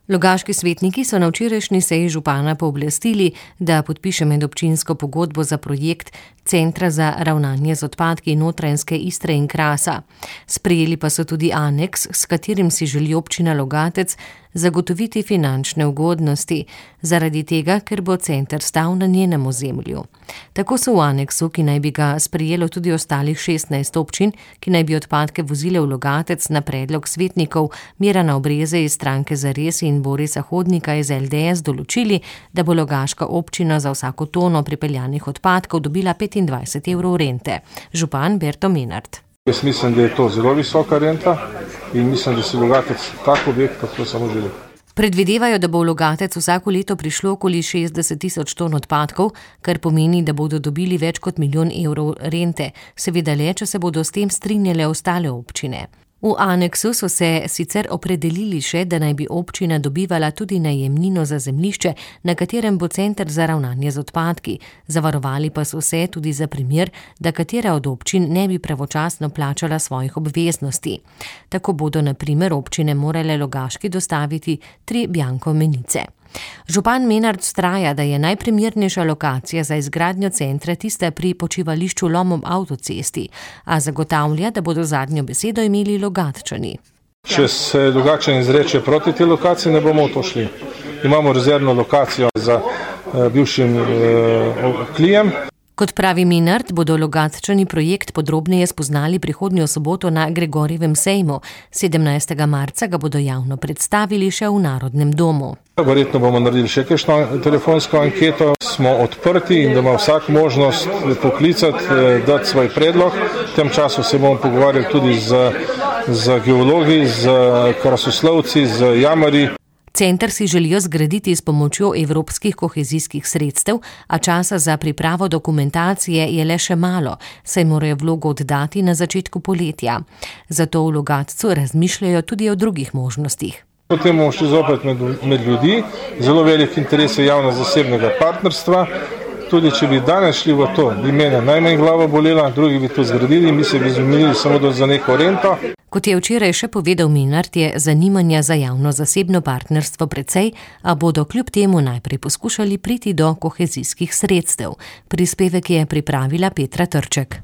Logaški svetniki so na včerajšnji seji župana pooblastili, da podpiše medobčinsko pogodbo za projekt Centra za ravnanje z odpadki Notranjske Istre in Krasa. Sprejeli pa so tudi aneks, s katerim si želi občina Logatec zagotoviti finančne ugodnosti, zaradi tega, ker bo center stal na njenem ozemlju. Tako so v aneksu, ki naj bi ga sprejelo tudi ostalih 16 občin, ki naj bi odpadke vozile v Logatec na predlog svetnikov Mirana Obreze iz stranke Zares in Borisa Hodnika iz LDS določili, da bo logaška občina za vsako tono pripeljanih odpadkov dobila 25 evrov rente. Župan Berto Menard. Jaz mislim, da je to zelo visoka renta in mislim, da si Logatec tak objekt, kako samo želi. Predvidevajo, da bo v Logatec vsako leto prišlo okoli 60 tisoč ton odpadkov, kar pomeni, da bodo dobili več kot 1 milijon evrov rente, seveda le, če se bodo s tem strinjale ostale občine. V aneksu so se sicer opredelili še, da naj bi občina dobivala tudi najemnino za zemljišče, na katerem bo center za ravnanje z odpadki. Zavarovali pa so se tudi za primer, da katera od občin ne bi pravočasno plačala svojih obveznosti. Tako bodo na primer občine morale Logaški dostaviti 3 bianko menice. Župan Menard vztraja, da je najprimernejša lokacija za izgradnjo centra tista pri počivališču Lom ob avtocesti, a zagotavlja, da bodo zadnjo besedo imeli Logatčani. Če se drugače izreče proti tej lokaciji, ne bomo v to šli. Imamo rezervno lokacijo za bivšim klijem. Kot pravi Menard, bodo Logatčani projekt podrobneje spoznali prihodnjo soboto na Gregorjevem sejmu. 17. marca ga bodo javno predstavili še v Narodnem domu. Verjetno bomo naredili še kakšno telefonsko anketo. Smo odprti in da ima vsak možnost poklicati, dati svoj predlog. V tem času se bomo pogovarjali tudi z geologi, z krasoslovci, z jamarji. Center si želijo zgraditi s pomočjo evropskih kohezijskih sredstev, a časa za pripravo dokumentacije je le še malo, saj morajo vlogo oddati na začetku poletja. Zato v Logatcu razmišljajo tudi o drugih možnostih. Potem bomo šli zopet med ljudi, zelo velik interes je javno-zasebnega partnerstva. Tudi če bi danes šli v to, bi mene najmanj glava bolela, drugi bi to zgradili, mi se bi zmenili samo za neko rento. Kot je včeraj še povedal Menard, je zanimanja za javno-zasebno partnerstvo precej, a bodo kljub temu najprej poskušali priti do kohezijskih sredstev. Prispevek je pripravila Petra Trček.